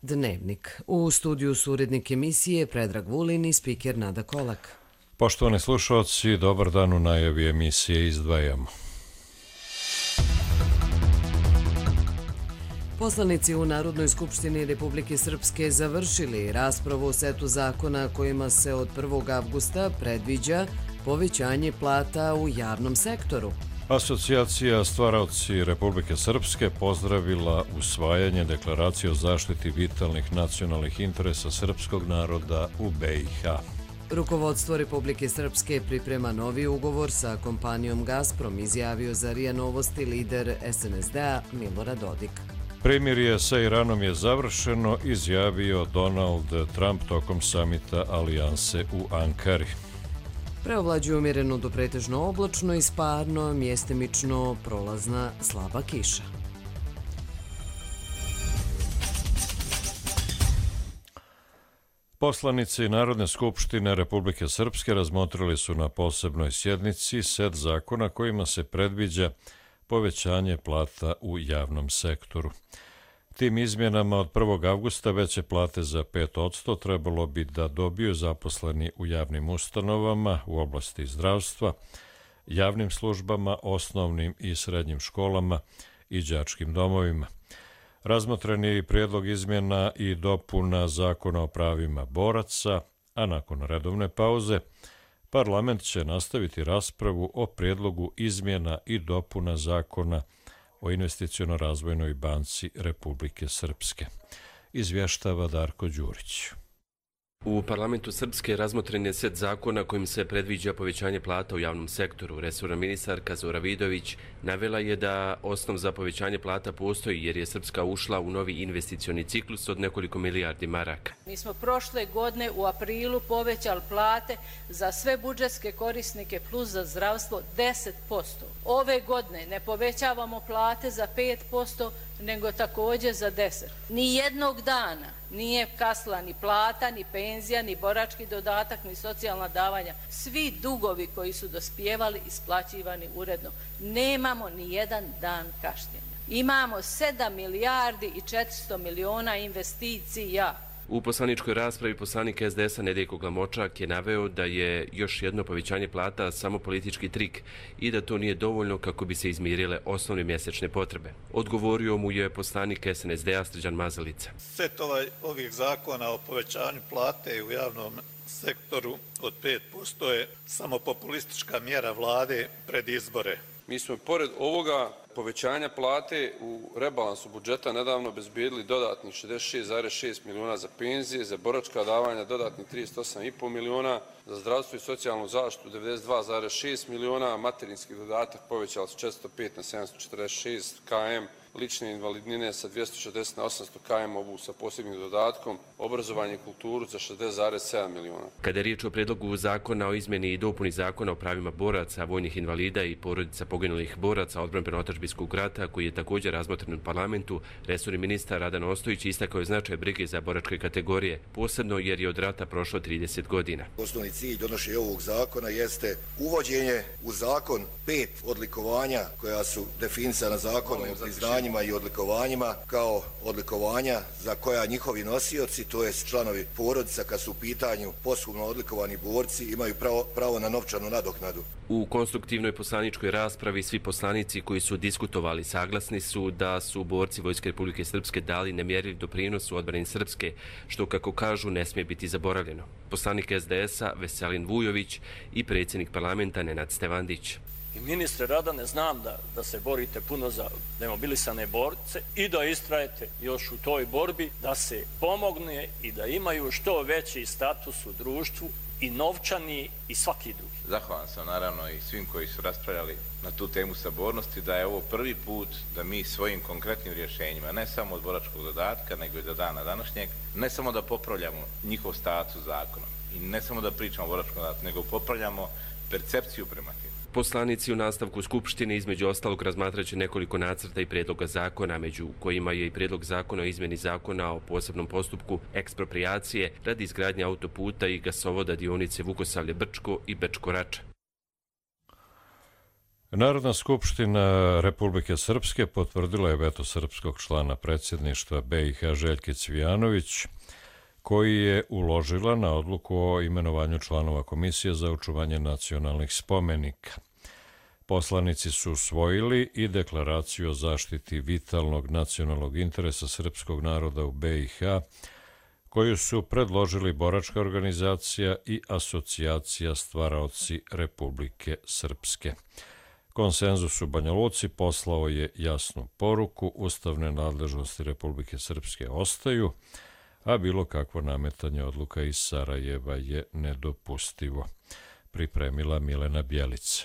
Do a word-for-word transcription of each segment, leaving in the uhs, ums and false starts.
Dnevnik. U studiju su urednik emisije Predrag Vulin i spiker Nada Kolak. Poštovani slušalci, dobar dan, u najavi emisije izdvajamo. Poslanici u Narodnoj skupštini Republike Srpske završili raspravu o setu zakona kojima se od prvog avgusta predviđa povećanje plata u javnom sektoru. Asocijacija stvaraoci Republike Srpske pozdravila usvajanje deklaracije o zaštiti vitalnih nacionalnih interesa srpskog naroda u B i H. Rukovodstvo Republike Srpske priprema novi ugovor sa kompanijom Gazprom, izjavio za R I A Novosti lider S N S D-a Milorad Dodik. Primirje sa Iranom je završeno, izjavio Donald Trump tokom samita Alijanse u Ankari. Preovlađuje umjereno do pretežno oblačno i sparno, mjestimično prolazna slaba kiša. Poslanici Narodne skupštine Republike Srpske razmotrili su na posebnoj sjednici set zakona kojima se predviđa povećanje plata u javnom sektoru. Tim izmjenama od prvog avgusta veće plate za pet posto trebalo bi da dobiju zaposleni u javnim ustanovama u oblasti zdravstva, javnim službama, osnovnim i srednjim školama i đačkim domovima. Razmotren je i prijedlog izmjena i dopuna Zakona o pravima boraca, a nakon redovne pauze parlament će nastaviti raspravu o prijedlogu izmjena i dopuna Zakona o investiciono-razvojnoj banci Republike Srpske. Izvještava Darko Đurić. U parlamentu Srpske razmotren je set zakona kojim se predviđa povećanje plata u javnom sektoru. Resorna ministarka Zora Vidović navela je da osnov za povećanje plata postoji jer je Srpska ušla u novi investicioni ciklus od nekoliko milijardi maraka. Mi smo prošle godine u aprilu povećali plate za sve budžetske korisnike plus za zdravstvo deset posto. Ove godine ne povećavamo plate za pet posto, nego također za deset posto. Ni jednog dana nije kasla ni plata, ni penzija, ni borački dodatak, ni socijalna davanja. Svi dugovi koji su dospijevali isplaćivani uredno. Nemamo ni jedan dan kašnjenja. Imamo sedam milijardi i četiristo miliona investicija. U poslaničkoj raspravi poslanik S D S-a Nedeljko Glamočak je naveo da je još jedno povećanje plata samo politički trik i da to nije dovoljno kako bi se izmirile osnovne mjesečne potrebe. Odgovorio mu je poslanik S N S D-a Srđan Mazalica. Set ovaj, ovih zakona o povećanju plate u javnom sektoru od pet posto je samo populistička mjera vlade pred izbore. Mi smo pored ovoga povećanja plate u rebalansu budžeta nedavno obezbijedili dodatnih šezdeset šest zarez šest miliona za penzije, za boračka davanja dodatnih trideset osam zarez pet miliona, za zdravstvo i socijalnu zaštitu devedeset dva zarez šest miliona, materinski dodatak povećali su četiristo pet na sedamsto četrdeset šest kilometara, lične invalidnine sa dvjesto šezdeset na osamsto kilometara, ovu sa posebnim dodatkom, obrazovanje i kulturu za šezdeset zarez sedam miliona. Kada je riječ o predlogu zakona o izmjeni i dopuni zakona o pravima boraca, vojnih invalida i porodica poginulih boraca odbrambeno-otadžbinskog rata, koji je također razmotren u parlamentu, resorni ministar Radan Ostojić istakao je značaj brige za boračke kategorije, posebno jer je od rata prošlo trideset godina. Osnovni cilj donošenja ovog zakona jeste uvođenje u zakon pet odlikovanja koja su definisana zakonom o priznanjima i odlikovanjima kao odlikovanja za koja njihovi nosioci, to jest članovi porodica kad su u pitanju posthumno odlikovani borci, imaju pravo, pravo na novčanu nadoknadu. U konstruktivnoj poslaničkoj raspravi svi poslanici koji su diskutovali saglasni su da su borci Vojske Republike Srpske dali nemjerljiv doprinos u odbrani Srpske, što kako kažu ne smije biti zaboravljeno. Poslanik S D S-a Veselin Vujović i predsjednik parlamenta Nenad Stevandić. I ministre Radane, znam da, da se borite puno za demobilisane borce i da istrajete još u toj borbi, da se pomogne i da imaju što veći status u društvu i novčani i svaki drugi. Zahvalan sam naravno i svim koji su raspravljali na tu temu sabornosti, da je ovo prvi put da mi svojim konkretnim rješenjima, ne samo od boračkog dodatka, nego i do dana današnjeg, ne samo da popravljamo njihov status zakonom i ne samo da pričamo o boračkom dodatku, nego popravljamo percepciju prema tim. Poslanici u nastavku Skupštine između ostalog razmatraće nekoliko nacrta i prijedloga zakona, među kojima je i prijedlog zakona o izmjeni zakona o posebnom postupku eksproprijacije radi izgradnje autoputa i gasovoda dionice Vukosavlje-Brčko i Bečko-Rača. Narodna skupština Republike Srpske potvrdila je veto srpskog člana predsjedništva B i H Željke Cvijanović, koji je uložila na odluku o imenovanju članova Komisije za očuvanje nacionalnih spomenika. Poslanici su usvojili i deklaraciju o zaštiti vitalnog nacionalnog interesa srpskog naroda u B i H, koju su predložili Boračka organizacija i Asocijacija stvaraoci Republike Srpske. Konsenzus u Banja Luci poslao je jasnu poruku: ustavne nadležnosti Republike Srpske ostaju, a bilo kakvo nametanje odluka iz Sarajeva je nedopustivo. Pripremila Milena Bjelica.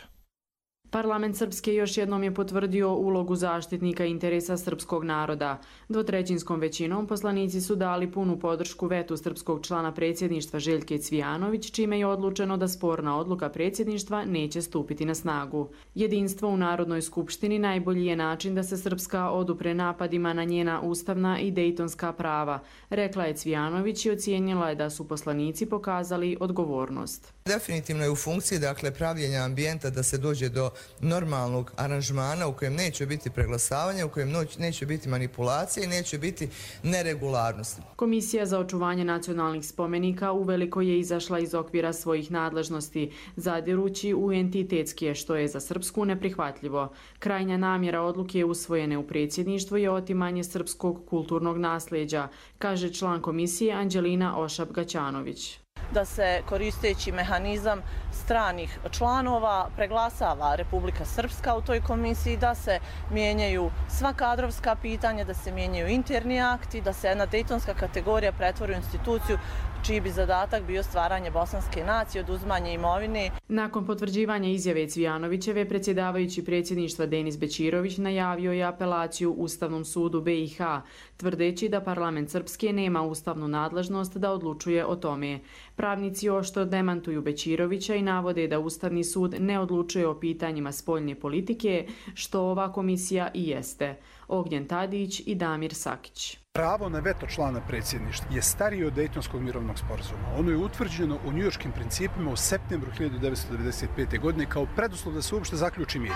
Parlament Srpske još jednom je potvrdio ulogu zaštitnika interesa srpskog naroda. Dvotrećinskom većinom poslanici su dali punu podršku vetu srpskog člana predsjedništva Željke Cvijanović, čime je odlučeno da sporna odluka predsjedništva neće stupiti na snagu. Jedinstvo u Narodnoj skupštini najbolji je način da se Srpska odupre napadima na njena ustavna i dejtonska prava, rekla je Cvijanović i ocijenila je da su poslanici pokazali odgovornost. Definitivno je u funkciji, dakle, pravljenja ambijenta da se dođe do normalnog aranžmana u kojem neće biti preglasavanja, u kojem neće biti manipulacije i neće biti neregularnosti. Komisija za očuvanje nacionalnih spomenika uveliko je izašla iz okvira svojih nadležnosti, zadirući u entitetske, što je za Srpsku neprihvatljivo. Krajnja namjera odluke usvojene u predsjedništvu je otimanje srpskog kulturnog nasljeđa, kaže član komisije Anđelina Ošab-Gaćanović. Da se koristeći mehanizam stranih članova preglasava Republika Srpska u toj komisiji, da se mijenjaju sva kadrovska pitanja, da se mijenjaju interni akti, da se jedna dejtonska kategorija pretvori u instituciju čiji bi zadatak bio stvaranje bosanske nacije, oduzimanje imovine. Nakon potvrđivanja izjave Cvijanovićeve, predsjedavajući predsjedništva Denis Bećirović najavio je apelaciju Ustavnom sudu B i H, tvrdeći da parlament Srpske nema ustavnu nadležnost da odlučuje o tome. Pravnici oštro demantuju Bećirovića i navode da Ustavni sud ne odlučuje o pitanjima spoljne politike, što ova komisija i jeste. Ognjen Tadić i Damir Sakić. Pravo na veto člana predsjedništva je starije od Dejtonskog mirovnog sporazuma. Ono je utvrđeno u njujorškim principima u septembru hiljadu devetsto devedeset pete. godine kao preduslov da se uopšte zaključi mir.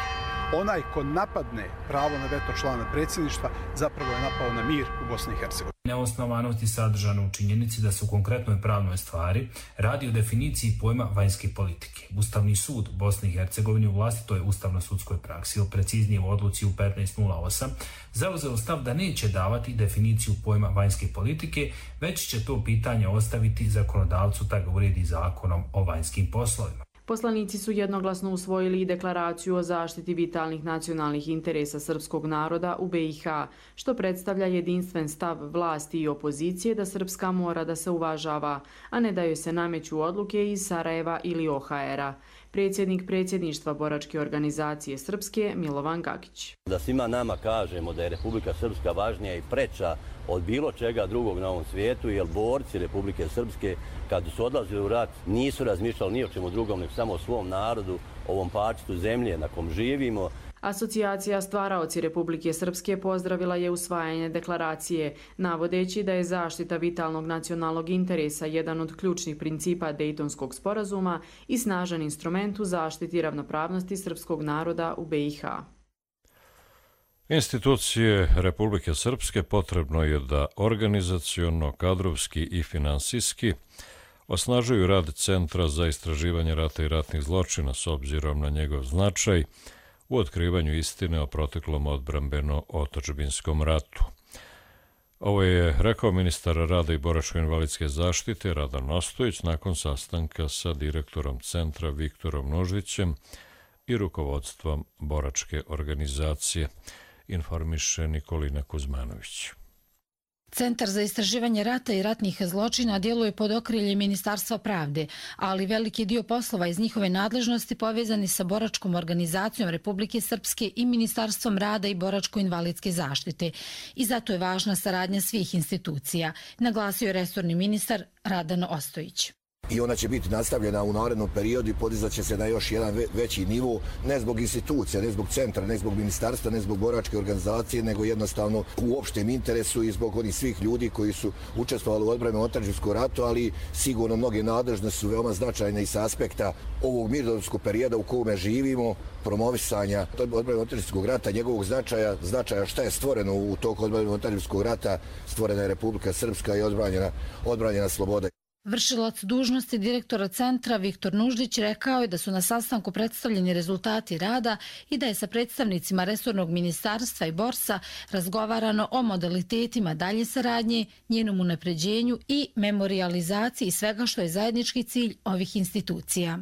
Onaj ko napadne pravo na veto člana predsjedništva zapravo je napao na mir u Bosni i Hercegovini. Neosnovanost je sadržana u činjenici da se u konkretnoj pravnoj stvari radi o definiciji pojma vanjske politike. Ustavni sud Bosne i Hercegovine u vlastitoj ustavno-sudskoj praksi, ili preciznije u odluci u petnaest nula osam, zauzeo stav da neće davati definiciju pojma vanjske politike, već će to pitanje ostaviti zakonodavcu da ga uredi zakonom o vanjskim poslovima. Poslanici su jednoglasno usvojili i deklaraciju o zaštiti vitalnih nacionalnih interesa srpskog naroda u B i H, što predstavlja jedinstven stav vlasti i opozicije da Srpska mora da se uvažava, a ne da joj se nameću odluke iz Sarajeva ili O H R-a. Predsjednik predsjedništva Boračke organizacije Srpske Milovan Gagić. Da svima nama kažemo da je Republika Srpska važnija i preča od bilo čega drugog na ovom svijetu, jer borci Republike Srpske kad su odlazili u rat nisu razmišljali ni o čemu drugom, nego samo o svom narodu, ovom parčetu zemlje na kom živimo. Asocijacija stvaraoci Republike Srpske pozdravila je usvajanje deklaracije, navodeći da je zaštita vitalnog nacionalnog interesa jedan od ključnih principa Dejtonskog sporazuma i snažan instrument u zaštiti ravnopravnosti srpskog naroda u B i H. Institucije Republike Srpske potrebno je da organizaciono, kadrovski i finansijski osnažuju rad Centra za istraživanje rata i ratnih zločina s obzirom na njegov značaj u otkrivanju istine o proteklom odbrambeno-otadžbinskom ratu. Ovo je rekao ministar rada i boračko-invalidske zaštite Radan Ostojić nakon sastanka sa direktorom centra Viktorom Nuždićem i rukovodstvom boračke organizacije, informiše Nikolina Kuzmanović. Centar za istraživanje rata i ratnih zločina djeluje pod okriljem Ministarstva pravde, ali veliki dio poslova iz njihove nadležnosti povezani sa Boračkom organizacijom Republike Srpske i Ministarstvom rada i boračko-invalidske zaštite. I zato je važna saradnja svih institucija, naglasio je resorni ministar Radan Ostojić. i ona će biti nastavljena u narednom periodu i podizat će se na još jedan veći nivo, ne zbog institucija, ne zbog centra, ne zbog ministarstva, ne zbog boračke organizacije, nego jednostavno u opštem interesu i zbog onih svih ljudi koji su učestvovali u odbrani otadžbinskog ratu, ali sigurno mnoge nadležnosti su veoma značajne i sa aspekta ovog mirnodopskog perioda u kome živimo, promovisanja odbrane otadžbinskog rata, njegovog značaja, značaja šta je stvoreno u toku odbrane otadžbinskog rata, stvorena je Republika Srpska i odbranjena, odbranjena sloboda. Vršilac dužnosti direktora centra Viktor Nuždić rekao je da su na sastanku predstavljeni rezultati rada i da je sa predstavnicima resornog ministarstva i borsa razgovarano o modalitetima dalje saradnje, njenom unapređenju i memorijalizaciji svega što je zajednički cilj ovih institucija.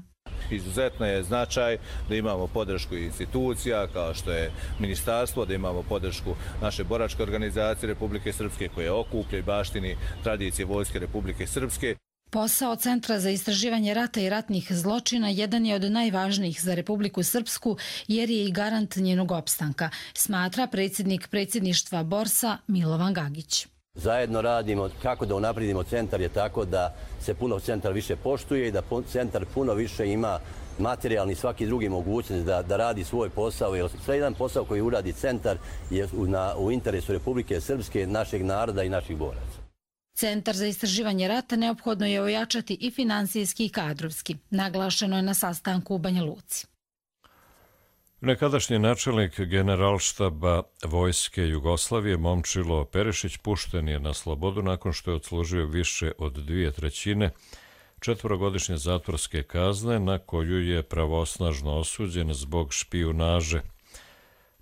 Izuzetno je značaj da imamo podršku institucija kao što je ministarstvo, da imamo podršku naše boračke organizacije Republike Srpske koje okuplja i baštini tradicije Vojske Republike Srpske. Posao Centra za istraživanje rata i ratnih zločina jedan je od najvažnijih za Republiku Srpsku jer je i garant njenog opstanka, smatra predsjednik predsjedništva borsa Milovan Gagić. Zajedno radimo kako da unapredimo centar je tako da se puno centar više poštuje i da centar puno više ima materijalni i svaki drugi mogućnost da, da radi svoj posao. Jer sve jedan posao koji uradi centar je u, na, u interesu Republike Srpske, našeg naroda i naših boraca. Centar za istraživanje rata neophodno je ojačati i finansijski i kadrovski. Naglašeno je na sastanku u Banja Luci. Nekadašnji načelnik generalštaba Vojske Jugoslavije Momčilo Perišić pušten je na slobodu nakon što je odslužio više od dvije trećine četvorogodišnje zatvorske kazne na koju je pravosnažno osuđen zbog špijunaže.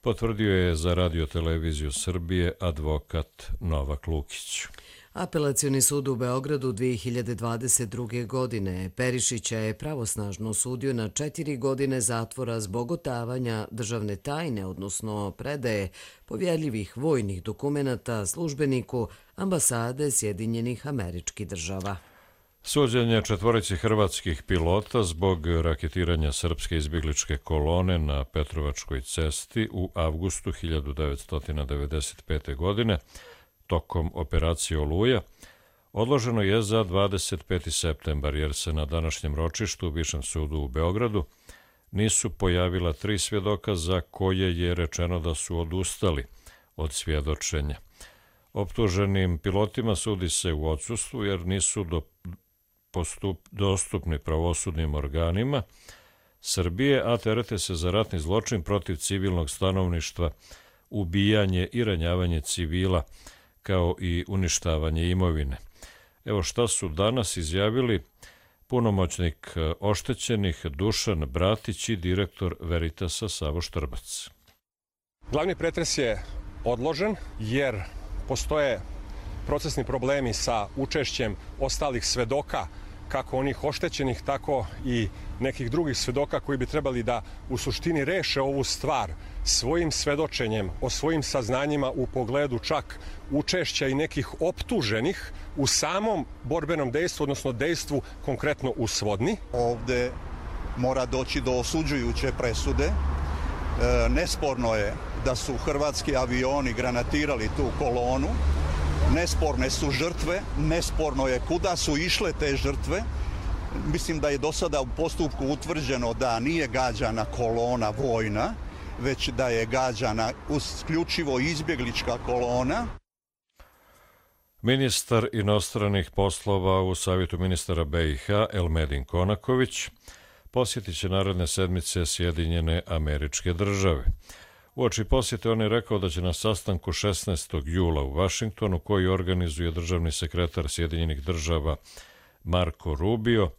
Potvrdio je za Radio-televiziju Srbije advokat Novak Lukić. Apelacioni sud u Beogradu dvije hiljade dvadeset druge. godine Perišića je pravosnažno osudio na četiri godine zatvora zbog otavanja državne tajne, odnosno predaje povjerljivih vojnih dokumenata službeniku ambasade Sjedinjenih Američkih Država. Suđenje četvorici hrvatskih pilota zbog raketiranja srpske izbjegličke kolone na Petrovačkoj cesti u avgustu hiljadu devetsto devedeset pete. godine tokom operacije Oluja odloženo je za dvadeset peti septembar jer se na današnjem ročištu u Višem sudu u Beogradu nisu pojavila tri svjedoka za koje je rečeno da su odustali od svjedočenja. Optuženim pilotima sudi se u odsustvu jer nisu do, postup, dostupni pravosudnim organima Srbije, a terete se za ratni zločin protiv civilnog stanovništva, ubijanje i ranjavanje civila, kao i uništavanje imovine. Evo šta su danas izjavili punomoćnik oštećenih Dušan Bratić i direktor Veritasa Savo Štrbac. Glavni pretres je odložen jer postoje procesni problemi sa učešćem ostalih svedoka, kako onih oštećenih, tako i nekih drugih svedoka koji bi trebali da u suštini reše ovu stvar svojim svedočenjem o svojim saznanjima u pogledu čak učešća i nekih optuženih u samom borbenom dejstvu, odnosno dejstvu konkretno u Svodni. Ovde mora doći do osuđujuće presude. E, nesporno je da su hrvatski avioni granatirali tu kolonu. Nesporne su žrtve, nesporno je kuda su išle te žrtve. Mislim da je do sada u postupku utvrđeno da nije gađana kolona vojna, već da je gađana isključivo izbjeglička kolona. Ministar inostranih poslova u Savjetu ministara B i H Elmedin Konaković posjetit će naredne sedmice Sjedinjene Američke Države. Uoči posjete on je rekao da će na sastanku šesnaestog jula u Vašingtonu, koji organizuje državni sekretar Sjedinjenih Država Marko Rubio,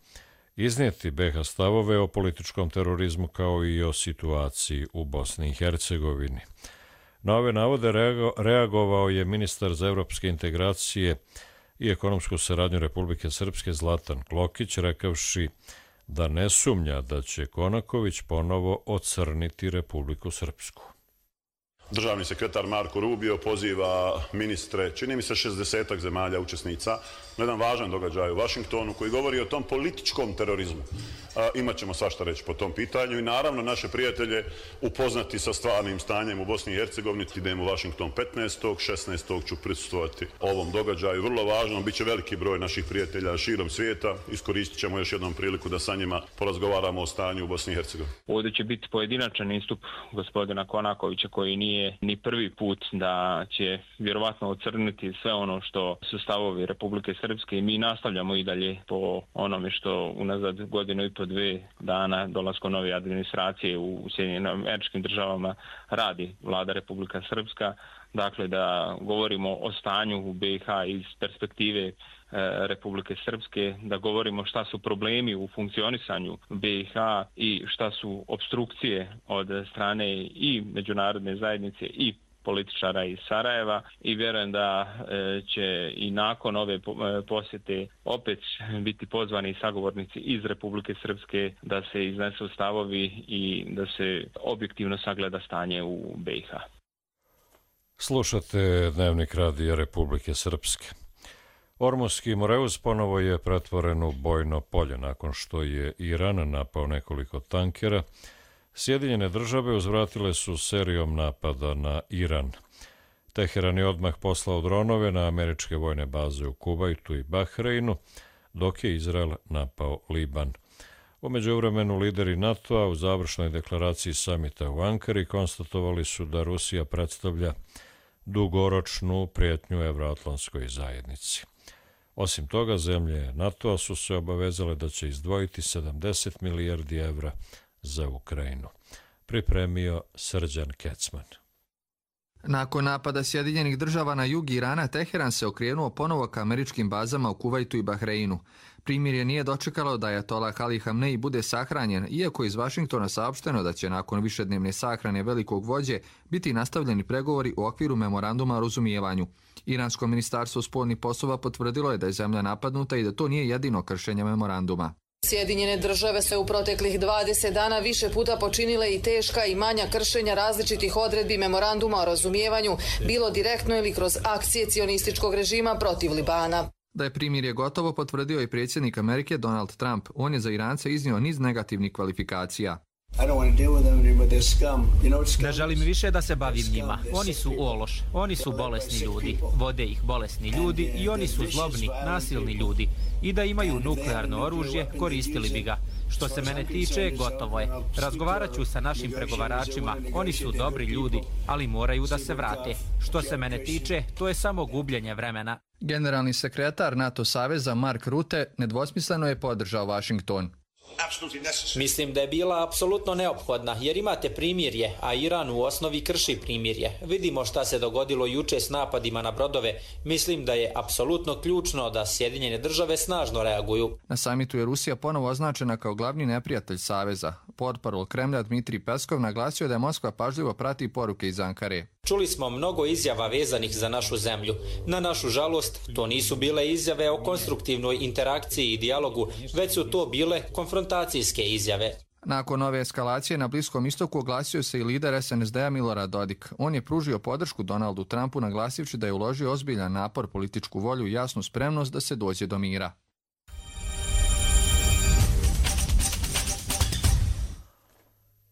iznijeti B H stavove o političkom terorizmu kao i o situaciji u Bosni i Hercegovini. Na ove navode reagovao je ministar za evropske integracije i ekonomsku saradnju Republike Srpske Zlatan Klokić, rekavši da ne sumnja da će Konaković ponovo ocrniti Republiku Srpsku. Državni sekretar Marko Rubio poziva ministre, čini mi se šezdesetak zemalja učesnica, na jedan važan događaj u Vašingtonu koji govori o tom političkom terorizmu. imat ćemo svašta reći po tom pitanju i naravno naše prijatelje upoznati sa stvarnim stanjem u Bosni i Hercegovini. Idemo u Washington petnaestog šesnaestog ću prisustvovati ovom događaju. Vrlo važno, bit će veliki broj naših prijatelja širom svijeta. Iskoristit ćemo još jednom priliku da sa njima porazgovaramo o stanju u Bosni i Hercegovini. Ovdje će biti pojedinačan istup gospodina Konakovića koji nije ni prvi put da će vjerovatno ocrniti sve ono što su stavovi Republike Srpske i mi nastavljamo i dalje po onome što unazad godinu i po dve dana dolaskom nove administracije u Sjedinjenim Američkim Državama radi vlada Republika Srpska. Dakle, da govorimo o stanju u B i H iz perspektive Republike Srpske, da govorimo šta su problemi u funkcionisanju B i H i šta su obstrukcije od strane i međunarodne zajednice i političara iz Sarajeva i vjerujem da će i nakon ove posjete opet biti pozvani sagovornici iz Republike Srpske da se iznesu stavovi i da se objektivno sagleda stanje u B i H. Slušate Dnevnik radija Republike Srpske. Ormuski Moreus ponovo je pretvoren u bojno polje nakon što je Iran napao nekoliko tankera. Sjedinjene države uzvratile su serijom napada na Iran. Teheran je odmah poslao dronove na američke vojne baze u Kuvajtu i Bahreinu, dok je Izrael napao Liban. U međuvremenu lideri NATO-a u završnoj deklaraciji samita u Ankari konstatovali su da Rusija predstavlja dugoročnu prijetnju evroatlantskoj zajednici. Osim toga, zemlje NATO-a su se obavezale da će izdvojiti sedamdeset milijardi evra za Ukrajinu. Pripremio Srđan Kecman. Nakon napada Sjedinjenih država na jug Irana, Teheran se okrenuo ponovo ka američkim bazama u Kuvajtu i Bahreinu. Primirje nije dočekalo da Ajatolah Ali Hamnei bude sahranjen, iako iz Vašingtona saopšteno da će nakon višednevne sahrane velikog vođe biti nastavljeni pregovori u okviru memoranduma o razumijevanju. Iransko ministarstvo spoljnih poslova potvrdilo je da je zemlja napadnuta i da to nije jedino kršenje memoranduma. Sjedinjene države se u proteklih dvadeset dana više puta počinile i teška i manja kršenja različitih odredbi memoranduma o razumijevanju, bilo direktno ili kroz akcije cionističkog režima protiv Libana. Da je primirje gotovo potvrdio i predsjednik Amerike Donald Trump. On je za Irance iznio niz negativnih kvalifikacija. Ne želim više da se bavim njima. Oni su ološ, oni su bolesni ljudi, vode ih bolesni ljudi i oni su zlobni, nasilni ljudi. I da imaju nuklearno oružje, koristili bi ga. Što se mene tiče, gotovo je. Razgovarat ću sa našim pregovaračima. Oni su dobri ljudi, ali moraju da se vrate. Što se mene tiče, to je samo gubljenje vremena. Generalni sekretar NATO saveza Mark Rutte nedvosmisleno je podržao Washington. Mislim da je bila apsolutno neophodna, jer imate primirje, a Iran u osnovi krši primirje. Vidimo šta se dogodilo juče s napadima na brodove. Mislim da je apsolutno ključno da Sjedinjene države snažno reaguju. Na samitu je Rusija ponovo označena kao glavni neprijatelj saveza. Portparol Kremlja Dmitrij Peskov naglasio da je Moskva pažljivo prati poruke iz Ankare. Čuli smo mnogo izjava vezanih za našu zemlju. Na našu žalost, to nisu bile izjave o konstruktivnoj interakciji i dijalogu, već su to bile konfrontacijske izjave. Nakon ove eskalacije na Bliskom istoku oglasio se i lider S N S D-a Milorad Dodik. On je pružio podršku Donaldu Trumpu naglasivši da je uložio ozbiljan napor, političku volju i jasnu spremnost da se dođe do mira.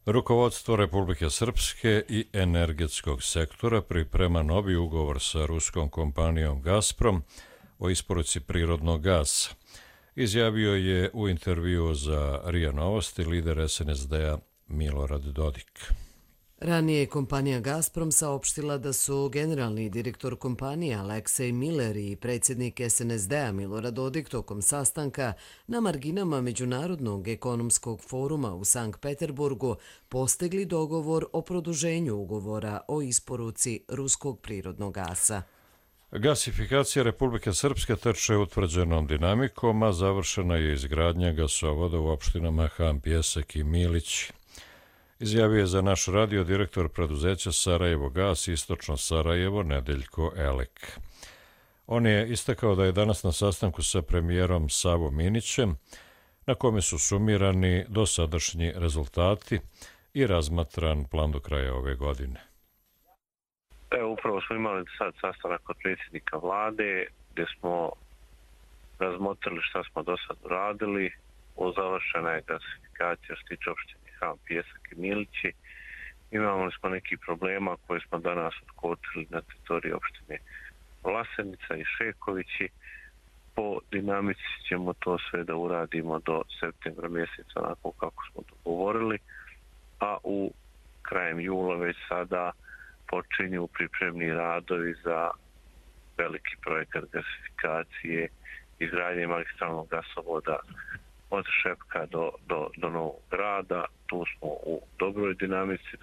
Rukovodstvo Republike Srpske i energetskog sektora priprema novi ugovor sa ruskom kompanijom Gazprom o isporuci prirodnog gasa. Izjavio je u intervjuu za R I A Novosti lider S N S D-a Milorad Dodik. Ranije je kompanija Gazprom saopštila da su generalni direktor kompanije Aleksej Miller i predsjednik S N S D-a Milorad Dodik tokom sastanka na marginama Međunarodnog ekonomskog foruma u Sankt Peterburgu postigli dogovor o produženju ugovora o isporuci ruskog prirodnog gasa. Gasifikacija Republike Srpske teče utvrđenom dinamikom, a završena je izgradnja gasovoda u opštinama Han, Pjesak i Milić. Izjavio je za naš radio direktor preduzeća Sarajevo Gas Istočno Sarajevo Nedeljko Elek. On je istakao da je danas na sastanku sa premijerom Savom Minićem, na kome su sumirani dosadašnji rezultati i razmatran plan do kraja ove godine. Evo, upravo smo imali sad sastanak kod predsjednika vlade gdje smo razmotrili šta smo do sad uradili završena je gasifikacija što se tiče opštine Han, Pjesak i Milići. Imamo smo neki problema koje smo danas otkotrili na teritoriji opštine Vlasenica i Šekovići. Po dinamici ćemo to sve da uradimo do septembra mjeseca onako kako smo dogovorili, a u krajem jula već sada počinju pripremni radovi za veliki projekat gasifikacije, izgradnje magistralnog gasovoda od Šepka do, do, do Novog Grada. Tu smo u dobroj dinamici.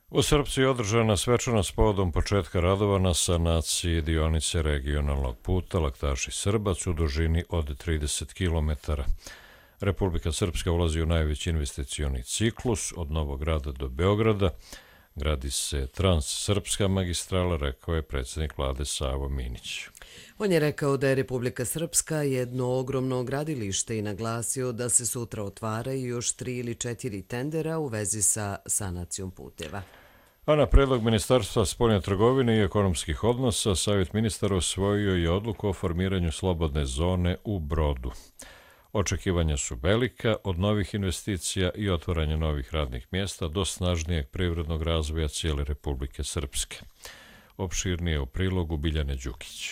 U Srpci je održana svečanost povodom početka radova na sanaciji dionice regionalnog puta Laktaši-Srbac u dužini od trideset kilometara. Republika Srpska ulazi u najveći investicioni ciklus od Novog Grada do Beograda. Gradi se Transsrpska magistrala, rekao je predsjednik vlade Savo Minić. On je rekao da je Republika Srpska jedno ogromno gradilište i naglasio da se sutra otvaraju još tri ili četiri tendera u vezi sa sanacijom puteva. A na predlog Ministarstva spoljne trgovine i ekonomskih odnosa, Savjet ministara usvojio je odluku o formiranju slobodne zone u Brodu. Očekivanja su velika od novih investicija i otvaranja novih radnih mjesta do snažnijeg privrednog razvoja cijele Republike Srpske. Opširnije u prilogu Biljane Đukić.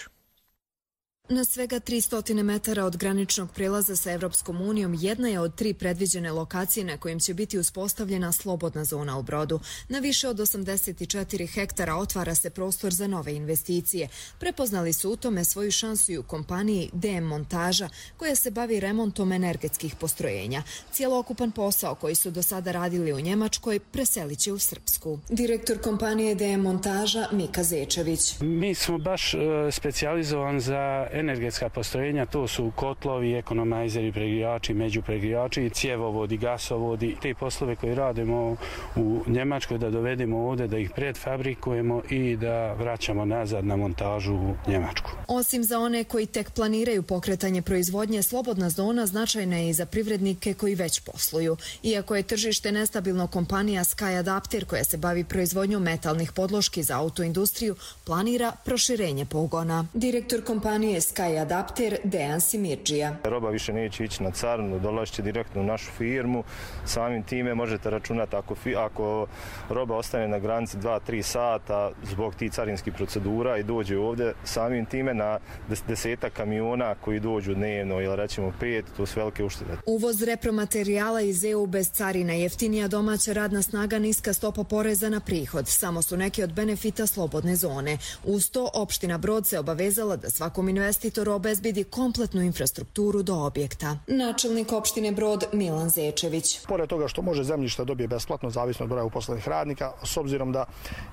Na svega tristo metara od graničnog prelaza sa Evropskom unijom jedna je od tri predviđene lokacije na kojim će biti uspostavljena slobodna zona u Brodu. Na više od osamdeset četiri hektara otvara se prostor za nove investicije. Prepoznali su u tome svoju šansu i u kompaniji D M Montaža, koja se bavi remontom energetskih postrojenja. Cijelokupan posao koji su do sada radili u Njemačkoj preselit će u Srpsku. Direktor kompanije D M Montaža Mika Zečević. Mi smo baš uh, specijalizovani za energetska postrojenja, to su kotlovi, ekonomajzeri, pregrijači, međupregrijači, cjevovodi, gasovodi. Te poslove koje radimo u Njemačkoj da dovedemo ovdje, da ih predfabrikujemo i da vraćamo nazad na montažu u Njemačku. Osim za one koji tek planiraju pokretanje proizvodnje, slobodna zona značajna je i za privrednike koji već posluju. Iako je tržište nestabilno, kompanija Sky Adapter, koja se bavi proizvodnjom metalnih podloški za autoindustriju, planira proširenje pogona. Direktor kompanije Sky Adapter Dejan Simirđija. Roba više neće ići na carinu, dolazit će direktno u našu firmu. Samim time možete računati ako, ako roba ostane na granici dva do tri sata zbog tih carinskih procedura i dođe ovdje, samim time na desetak kamiona koji dođu dnevno ili rećemo pet, to su velike uštede. Uvoz repromaterijala iz E U bez carina, jeftinija domaća radna snaga, niska stopa poreza na prihod. Samo su neki od benefita slobodne zone. Uz to, opština Brod se obavezala da svakom investitoru obezbedi kompletnu infrastrukturu do objekta. Načelnik opštine Brod Milan Zečević. Pored toga što može zemljište dobije besplatno, zavisno od broja uposlenih radnika, s obzirom da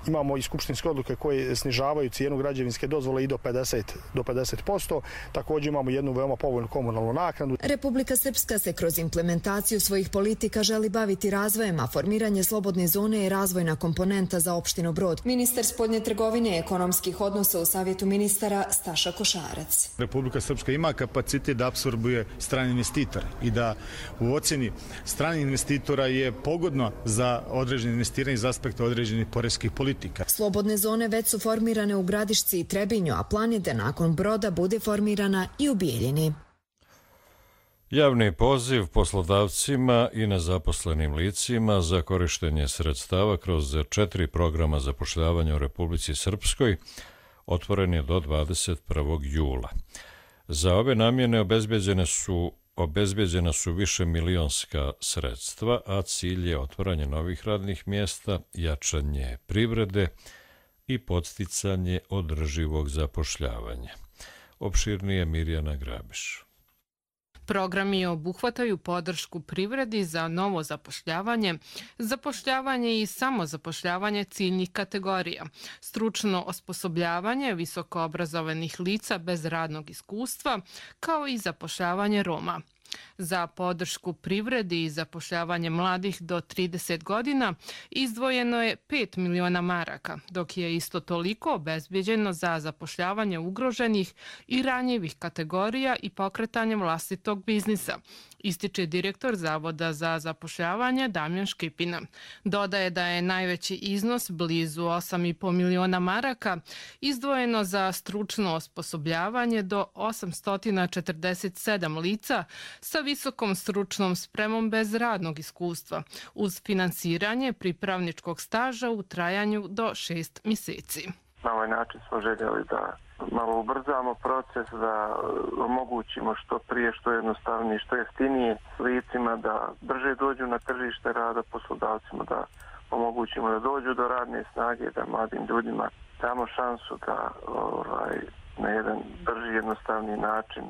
imamo i skupštinske odluke koje snižavaju cijenu građevinske dozvole i do pedeset do pedeset posto, također imamo jednu veoma povoljnu komunalnu naknadu. Republika Srpska se kroz implementaciju svojih politika želi baviti razvojem, a formiranje slobodne zone je razvojna komponenta za opštinu Brod. Ministar spoljne trgovine i ekonomskih odnosa u Savjetu ministara Staša Košarac. Republika Srpska ima kapacitet da apsorbuje strane investitore i da u ocjeni stranih investitora je pogodno za određene investiranje iz aspekta određenih poreskih politika. Slobodne zone već su formirane u Gradišci i Trebinju, a plan je da nakon Broda bude formirana i u Bijeljini. Javni poziv poslodavcima i nezaposlenim licima za korištenje sredstava kroz četiri programa zapošljavanja u Republici Srpskoj otvoren je do dvadeset prvog jula. Za ove namjene obezbeđene su, obezbeđena su više milionska sredstva, a cilj je otvaranje novih radnih mjesta, jačanje privrede i podsticanje održivog zapošljavanja. Opširnije Mirjana Grabiš. Programi obuhvataju podršku privredi za novo zapošljavanje, zapošljavanje i samozapošljavanje ciljnih kategorija, stručno osposobljavanje visokoobrazovanih lica bez radnog iskustva, kao i zapošljavanje Roma. Za podršku privredi i zapošljavanje mladih do trideset godina izdvojeno je pet miliona maraka, dok je isto toliko obezbeđeno za zapošljavanje ugroženih i ranjivih kategorija i pokretanje vlastitog biznisa, ističe direktor Zavoda za zapošljavanje Damjan Škipina. Dodaje da je najveći iznos, blizu osam i po miliona maraka, izdvojeno za stručno osposobljavanje do osamsto četrdeset sedam lica sa visokom stručnom spremom bez radnog iskustva, uz finansiranje pripravničkog staža u trajanju do šest mjeseci. Na ovaj način smo željeli da malo ubrzamo proces, da omogućimo što prije, što jednostavnije, što jeftinije licima da brže dođu na tržište rada, poslodavcima da omogućimo da dođu do radne snage, da mladim ljudima damo šansu da ovaj, na jedan brži, jednostavni način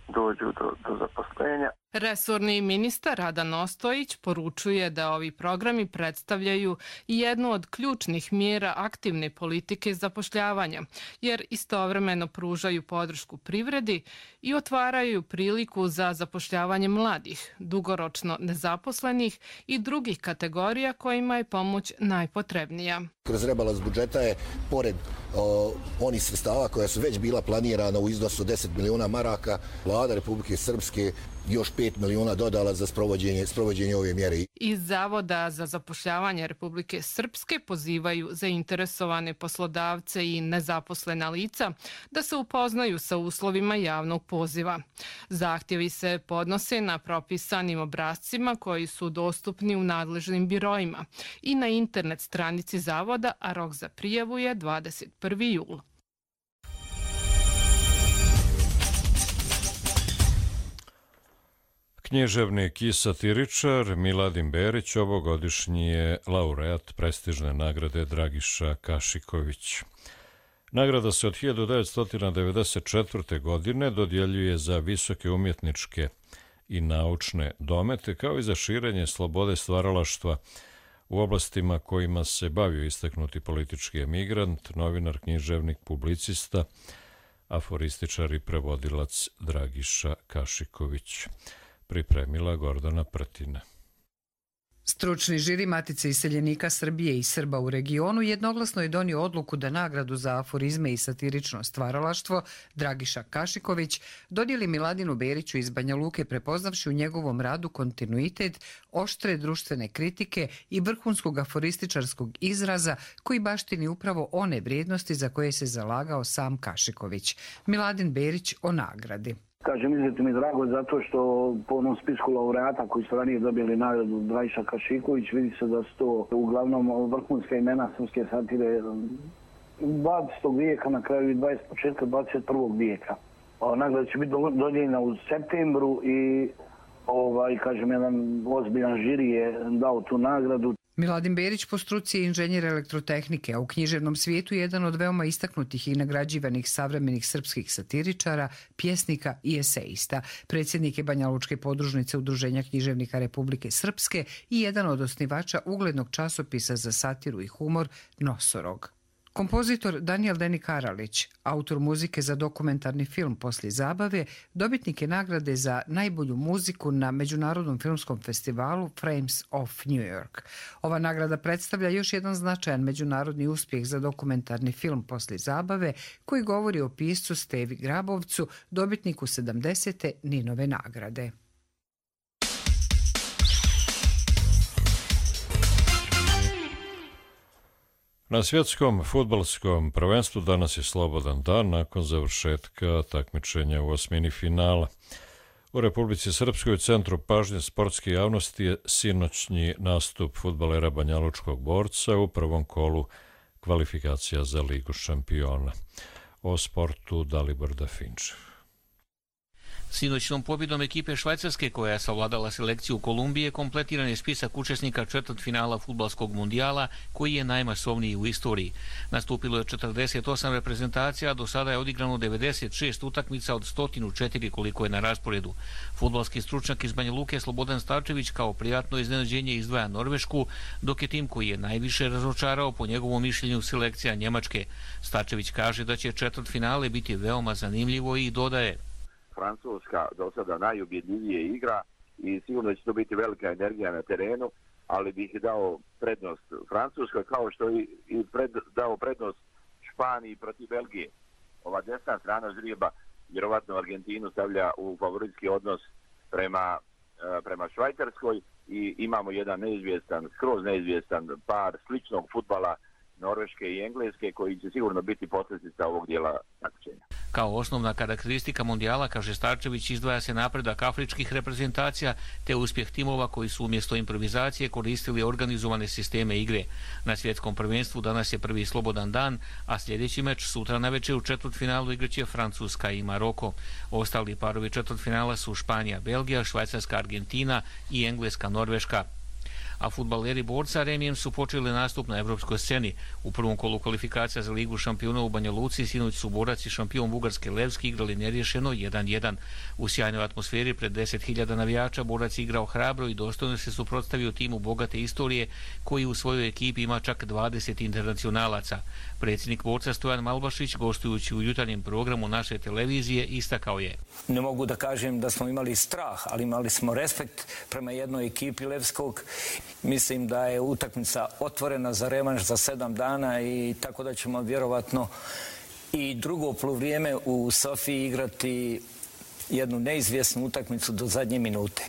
dođu do, do zaposlenja. Resorni ministar Radan Ostojić poručuje da ovi programi predstavljaju jednu od ključnih mjera aktivne politike zapošljavanja, jer istovremeno pružaju podršku privredi i otvaraju priliku za zapošljavanje mladih, dugoročno nezaposlenih i drugih kategorija kojima je pomoć najpotrebnija. Kroz rebalans budžeta je, pored o, onih sredstava koja su već bila planirana u iznosu deset miliona maraka, vlada Republike Srpske još pet miliona dodala za sprovođenje, sprovođenje ove mjere. Iz Zavoda za zapošljavanje Republike Srpske pozivaju zainteresovane poslodavce i nezaposlena lica da se upoznaju sa uslovima javnog poziva. Zahtjevi se podnose na propisanim obrascima koji su dostupni u nadležnim birojima i na internet stranici Zavoda, a rok za prijavu je dvadeset prvi jul. Književnik i satiričar Miladin Berić ovogodišnji je laureat prestižne nagrade Dragiša Kašiković. Nagrada se od hiljadu devetsto devedeset četvrte. godine dodjeljuje za visoke umjetničke i naučne domete, kao i za širenje slobode stvaralaštva u oblastima kojima se bavio istaknuti politički emigrant, novinar, književnik, publicista, aforističar i prevodilac Dragiša Kašiković. Pripremila Gordana Prtina. Stručni žiri Matice iseljenika Srbije i Srba u regionu jednoglasno je donio odluku da nagradu za aforizme i satirično stvaralaštvo Dragiša Kašiković dodijeli Miladinu Beriću iz Banja Luke, prepoznavši u njegovom radu kontinuitet, oštre društvene kritike i vrhunskog aforističarskog izraza koji baštini upravo one vrijednosti za koje se zalagao sam Kašiković. Miladin Berić o nagradi. Kažem, izuzetno mi je drago zato što po onom spisku laureata koji su ranije dobili nagradu Dragiša Kašiković, vidi se da su to uglavnom vrhunska imena srpske satire dvadesetog vijeka, na kraju i dvadeset početka dvadeset prvog vijeka. Nagrada će biti dodijeljena u septembru i ovaj, kažem, jedan ozbiljan žiri je dao tu nagradu. Miladin Berić po struci je inženjer elektrotehnike, a u književnom svijetu je jedan od veoma istaknutih i nagrađivanih savremenih srpskih satiričara, pjesnika i eseista. Predsjednik je Banja Lučke podružnice Udruženja književnika Republike Srpske i jedan od osnivača uglednog časopisa za satiru i humor Nosorog. Kompozitor Danijel Deni Karalić, autor muzike za dokumentarni film Poslije zabave, dobitnik je nagrade za najbolju muziku na Međunarodnom filmskom festivalu Frames of New York. Ova nagrada predstavlja još jedan značajan međunarodni uspjeh za dokumentarni film Poslije zabave, koji govori o piscu Stevi Grabovcu, dobitniku sedamdesete Ninove nagrade. Na svjetskom fudbalskom prvenstvu danas je slobodan dan nakon završetka takmičenja u osmini finala. U Republici Srpskoj u centru pažnje sportske javnosti je sinoćnji nastup fudbalera Banjalučkog Borca u prvom kolu kvalifikacija za Ligu šampiona. O sportu Dalibor Dafinčev. Sinoćnom pobjedom ekipe Švajcarske, koja je savladala selekciju Kolumbije, kompletiran je spisak učesnika četvrtfinala fudbalskog mundijala, koji je najmasovniji u istoriji. Nastupilo je četrdeset osam reprezentacija, a do sada je odigrano devedeset šest utakmica od sto četiri koliko je na rasporedu. Fudbalski stručnjak iz Banja Luke Slobodan Starčević kao prijatno iznenađenje izdvaja Norvešku, dok je tim koji je najviše razočarao po njegovom mišljenju selekcija Njemačke. Starčević kaže da će četvrtfinale biti veoma zanimljivo i dodaje: Francuska do sada najubjedljivije igra i sigurno će to biti velika energija na terenu, ali bih dao prednost Francuskoj, kao što i, i pred, dao prednost Španiji protiv Belgije. Ova desna strana žrijeba vjerovatno Argentinu stavlja u favoritski odnos prema, prema Švajcarskoj i imamo jedan neizvjestan, skroz neizvjestan par sličnog fudbala Norveške i Engleske, koji će sigurno biti posljedica ovog dijela takmičenja. Kao osnovna karakteristika mondijala, kaže Starčević, izdvaja se napredak afričkih reprezentacija te uspjeh timova koji su umjesto improvizacije koristili organizovane sisteme igre. Na svjetskom prvenstvu danas je prvi slobodan dan, a sljedeći meč sutra navečer u četvrtfinalu igraće Francuska i Maroko. Ostali parovi četvrtfinala su Španija, Belgija, Švajcarska, Argentina i Engleska, Norveška. A fudbaleri Borca remijem su počeli nastup na evropskoj sceni. U prvom kolu kvalifikacija za Ligu šampiona u Banja Luci sinoć su Borac i šampion Bugarske Levski igrali nerješeno jedan jedan. U sjajnoj atmosferi pred deset hiljada navijača Borac igrao hrabro i dostojno se suprotstavio timu bogate istorije koji u svojoj ekipi ima čak dvadeset internacionalaca. Predsjednik Borca Stojan Malbašić, gostujući u jutarnjem programu naše televizije, istakao je: Ne mogu da kažem da smo imali strah, ali imali smo respekt prema jednoj ekipi Levskog. Mislim da je utakmica otvorena za revanš za sedam dana i tako da ćemo vjerovatno i drugo poluvrijeme u Sofiji igrati jednu neizvjesnu utakmicu do zadnje minute.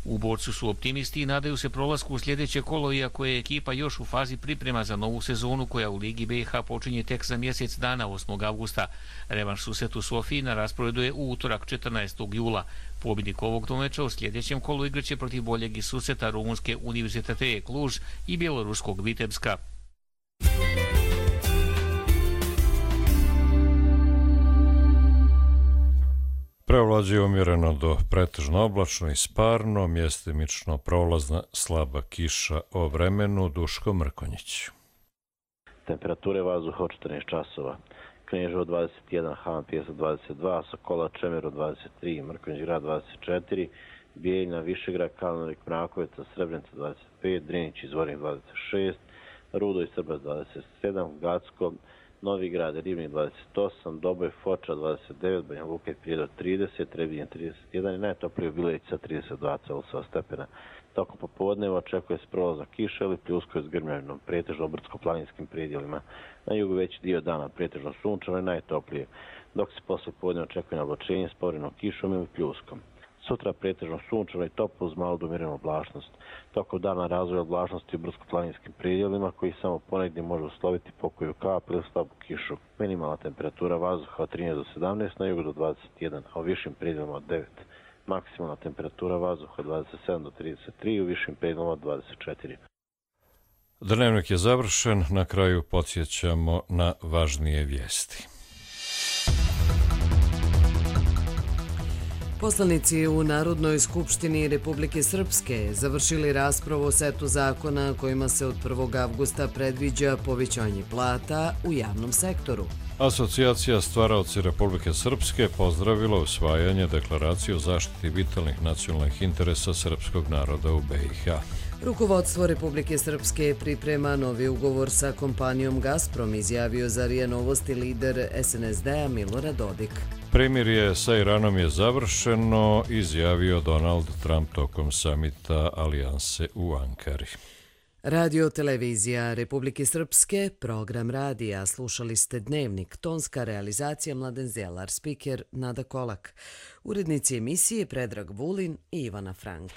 U Borcu su optimisti i nadaju se prolasku u sljedeće kolo, iako je ekipa još u fazi priprema za novu sezonu koja u Ligi B i H počinje tek za mjesec dana, osmog avgusta. Revanš susret u Sofiji na rasporedu je u utorak četrnaestog jula. Pobjednik ovog domeča u sljedećem kolu igraće protiv boljeg iz susreta rumunske Univerzitete Kluž i bjeloruskog Vitebska. Preovlađuje umjereno do pretežno oblačno i sparno, mjestimično prolazna slaba kiša. O vremenu Duško Mrkonjić. Temperature vazduha od četrnaest časova. Kneževo dvadeset jedan, Havan Pjesak dvadeset dva, Sokola Čemero dvadeset tri, Mrkonjić grad dvadeset četiri, Bijeljina, Višegrad, Kalnovik, Mrakovica, Srebrenica dvadeset pet, Drinić i Zvornik dvadeset šest, Rudo i Srbac dvadeset sedam, Gacko, Novi Grad, Rivnik dvadeset osam, Doboj, Foča dvadeset devet, Banja Luka i Prijedor trideset, Trebinje trideset jedan i najtoplije u Bileća trideset dva Celsijusa stepena. Tokom popodneva očekuje se prolazna kiša ili pljuskaju s grmljavinom, pretežno brdsko-planinskim predjelima. Na jugu veći dio dana pretežno sunčano i najtoplije, dok se posle podneva očekuje navlačenje s povremenom kišom ili pljuskom. Sutra pretežno sunčano i toplo uz malu do umjerenu oblačnost. Tokom dana razvoja oblačnosti u brdsko-planinskim predjelima koji samo ponegdje može usloviti pokoju kap ili slabu kišu. Minimalna temperatura vazduha od trinaest do sedamnaest, na jugu do dvadeset jedan, a u višim predjelima od devet. Maksimalna temperatura vazduha od dvadeset sedam do trideset tri, u višim predjelima od dvadeset četiri. Dnevnik je završen, na kraju podsjećamo na važnije vijesti. Poslanici u Narodnoj skupštini Republike Srpske završili raspravu o setu zakona kojima se od prvog avgusta predviđa povećanje plata u javnom sektoru. Asocijacija stvaraoci Republike Srpske pozdravila usvajanje deklaracije o zaštiti vitalnih nacionalnih interesa srpskog naroda u B i H. Rukovodstvo Republike Srpske priprema novi ugovor sa kompanijom Gazprom, izjavio za R I A Novosti lider S N S D-a Milorad Dodik. Primirje sa Iranom je završeno, izjavio Donald Trump tokom samita Alijanse u Ankari. Radio televizija Republike Srpske, program radija, slušali ste Dnevnik, tonska realizacija Mladen Zelar, spiker Nada Kolak, urednici emisije Predrag Vulin i Ivana Frank.